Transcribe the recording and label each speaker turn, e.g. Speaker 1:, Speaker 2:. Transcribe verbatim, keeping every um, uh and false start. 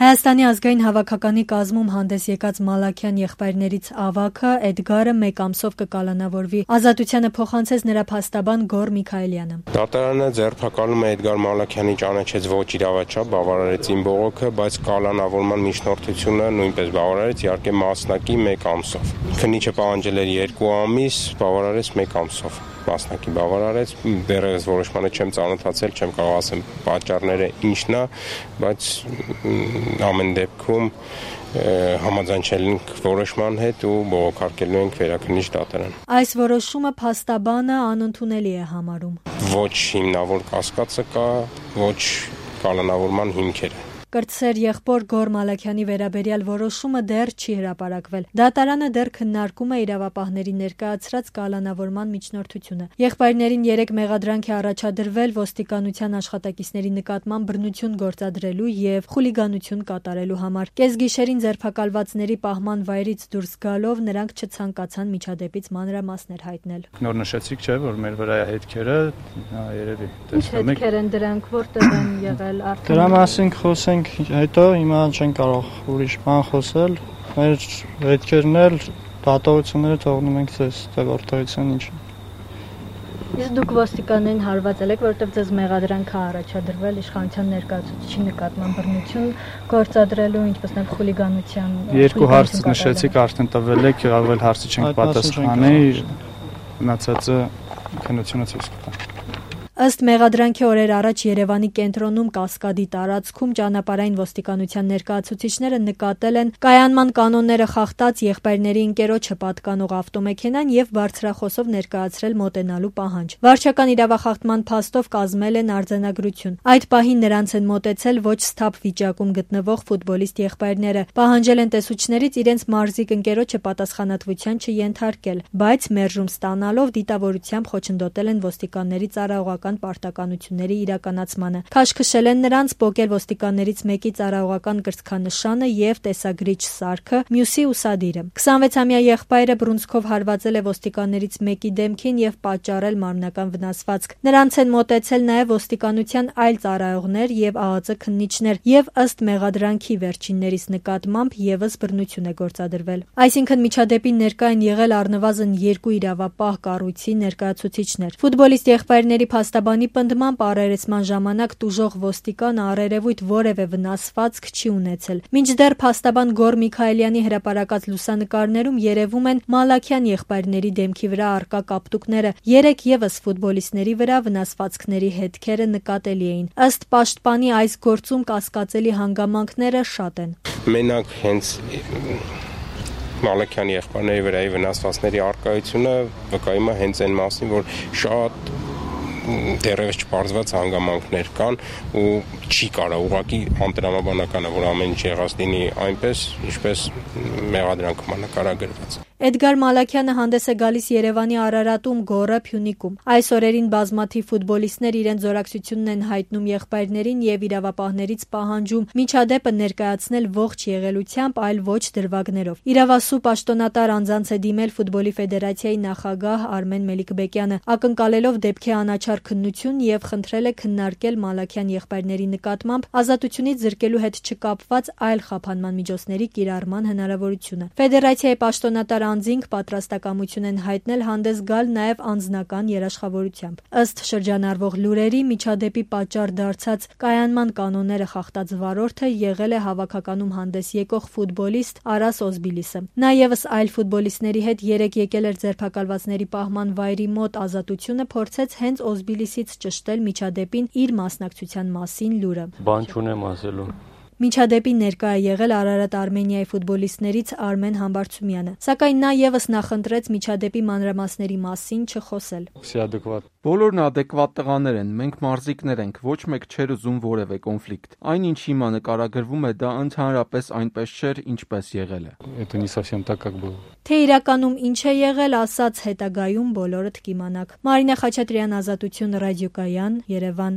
Speaker 1: Հայաստանի ազգային հավաքականի կազմում հանդես եկած Մալաքյան եղբայրներից ավագը Էդգարը մեկ ամսով կկալանավորվի։ Ազատությանը փոխանցեց նրա փաստաբան Գոր Միքայելյանը։
Speaker 2: Դատարանը ձերբակալում է Էդգար Մալաքյանի ճանաչեց ոչ իրավաչափ, բավարարեց իմ բողոքը, բայց կալանավորման միջնորդությունը նույնպես բավարարեց, իհարկե մասնակի մեկ ամսով։ Քննիչը պահանջել էր երկու ամիս, բավարարեց մեկ ամսով։ Մասնակի բավարարեց, դեռևս որոշմանը չեմ ծանոթացել, չեմ կարող ասեմ պատճառները ինչն է, բայց ամեն դեպքում համաձայնչել ենք որոշման հետ ու բողոքարկելու ենք վերաքննիչ դատարան։
Speaker 1: Այս որոշումը փաստաբանը անընդունելի է համարում։
Speaker 2: Ոչ հիմնավոր կասկածը կա, ոչ կալանավորման հիմքերը։
Speaker 1: Կրտսեր եղբոր Գոր Մալաքյանի վերաբերյալ որոշումը դեռ չի հրապարակվել։ Դատարանը դեռ քննարկում է իրավապահների ներկայացրած կալանավորման միջնորդությունը։ Եղբայրներին երեք մեղադրանք է առաջադրվել ոստիկանության աշխատակիցների նկատմամբ բռնություն գործադրելու եւ խուլիգանություն կատարելու համար։ Կեսգիշերին ձերբակալվածների պահման վայրից դուրս գալով նրանք չցանկացան միջադեպից մանրամասներ հայտնել։
Speaker 3: Նոր նշեցիք, չէ՞, որ մեր վրա հետքերը, հա, երևի
Speaker 1: տեսնում եք։ Հետքեր են դրանք, որտեղ են եղել արդեն։
Speaker 4: Դրա մասին խոսենք հետո, հիմա չեն կարող ուրիշ բան խոսել, մեր հետքերն էլ դատողությունները թողնում ենք ձեզ, թե որտեղից են ինչ։
Speaker 1: Իսկ դուք ոստիկաններին հարվածել եք, որովհետև ձեզ մեղադրանք է առաջադրվել իշխանության ներկայացուցիչի նկատմամբ բռնություն գործադրելու, ինչպես նաև խուլիգանության։
Speaker 3: Երկու հարց նշեցիք, արդեն տվել եք, ավել հարցի չենք պատասխանի, մնացածը քննությունը ցույց կտա։
Speaker 1: Ըստ մեղադրանքի օրեր առաջ Երևանի կենտրոնում Կասկադի տարածքում ճանապարհային ոստիկանության ներկայացուցիչները նկատել են կայանման կանոնները խախտած եղբայրների ընկերոջը պատկանող ավտոմեքենան եւ բարձրախոսով ներկայացրել մոտենալու պահանջ։ Վարչական իրավախախտման փաստով կազմել են արձանագրություն։ Այդ պահին նրանց են մոտեցել ոչ սթափ վիճակում գտնվող ֆուտբոլիստ եղբայրները, պահանջել են տեսուչներից իրենց մարզիկ ընկերոջը պատասխանատվության չենթարկել, բայց մերժում ստանալով դիտավորությամբ խոչընդոտել են ոստիկանների ծառայողական պարտականությունների իրականացմանը։ Քաշքշել են նրանց, պոկել ոստիկաններից մեկի ծառայողական կրծքանշանը եւ տեսագրիչ սարքը, մյուսի ուսադիրը։ քսանվեցամյա եղբայրը բռունցքով հարվածել է ոստիկաններից մեկի դեմքին եւ պատճառել մարմնական վնասվածք։ Նրանց են մոտեցել նաեւ ոստիկանության այլ ծառայողներ եւ ԱԱԾ քննիչներ եւ ըստ մեղադրանքի վերջիններիս նկատմամբ եւս բռնություն է գործադրվել։ Այսինքն միջադեպին ներկա են եղել առնվազն երկու իրավապահ կառույցի ներկայացուցիչներ։ Ֆուտբոլիստ եղբայրների Փաստաբանի պնդմամբ առերեսման ժամանակ տուժող ոստիկանը առերևույթ որևէ վնասվածք չի ունեցել։ Մինչդեռ փաստաբան Գոր Միքայելյանի հրապարակած լուսանկարներում երևում են Մալաքյան եղբայրների դեմքի վրա առկա կապտուկները։ Երեք եւս ֆուտբոլիստների վրա վնասվածքների հետքերը նկատելի էին։ Ըստ պաշտպանի այս գործում կասկածելի հանգամանքները շատ են։
Speaker 2: Մենակ հենց Մալաքյանի եղբայրների վրայի վնասվածքների առկայությունը վկայում է հենց այն մասին, որ շատ դեռևս չպարզված հանգամանքներ կան ու չի կարող ուղղակի անտրամաբանական է, որ ամեն ինչ եղած լինի այնպես, ինչպես մեղադրանքում նկարագրված։
Speaker 1: Էդգար Մալաքյանը հանդես է գալիս Երևանի Արարատում, Գոռը, Փյունիկում։ Այս օրերին բազմաթիվ ֆուտբոլիստներ իրենց զորակցությունն են հայտնում եղբայրներին եւ իրավապահներից պահանջում միջադեպը ներկայացնել ողջ եղելությամբ, այլ ոչ դրվագներով։ Իրավասու պաշտոնատար անձանց է դիմել ֆուտբոլի ֆեդերացիայի նախագահ Արմեն Մելիքբեկյանը, ակնկալելով դեպքի անաչառ քննություն եւ խնդրել է քննարկել Մալաքյան եղբայրների նկատմամբ ազատությունից զրկելու հետ չկապված այլ խափանման միջոցների կիրառման հնարավորությունը։ Ֆեդերացիայի պաշտոնատար անձինք պատրաստակամություն են հայտնել հանդես գալ նաև անձնական երաշխավորությամբ։ Ըստ շրջանառվող լուրերի, միջադեպի պատճառ դարձած կայանման կանոնները խախտած վարորդը եղել է հավաքականում հանդես եկող ֆուտբոլիստ Արաս Օզբիլիսը։ Նա ևս այլ ֆուտբոլիստների հետ երեք եկել էր ձերբակալվածների պահման վայրի մոտ ազատությունը փորձեց հենց Օզբիլիսից ճշտել միջադեպին իր մասնակցության մասին լուրը։
Speaker 5: Բան չունեմ ասելու։
Speaker 1: Միջադեպին ներկա է եղել Արարատ Արմենիայի ֆուտբոլիստներից Արմեն Համբարձումյանը, սակայն նա եւս նախընտրեց միջադեպի մանրամասների մասին չխոսել։
Speaker 6: Բոլորն ադեկվատ տղաներ են, մենք մարզիկներ ենք, ոչ մեկ չէր ուզում որևէ կոնֆլիկտ։ Այն ինչ հիմա նկարագրվում է, դա ընդհանրապես այնպես չէր, ինչպես եղել է։
Speaker 3: Это не совсем так, как было։
Speaker 1: Թե իրականում ինչ է եղել, ասած հետագայում բոլորդ կիմանաք։ Մարինա Խաչատրյան, Ազատություն, Ռադիոկայան, Երևան։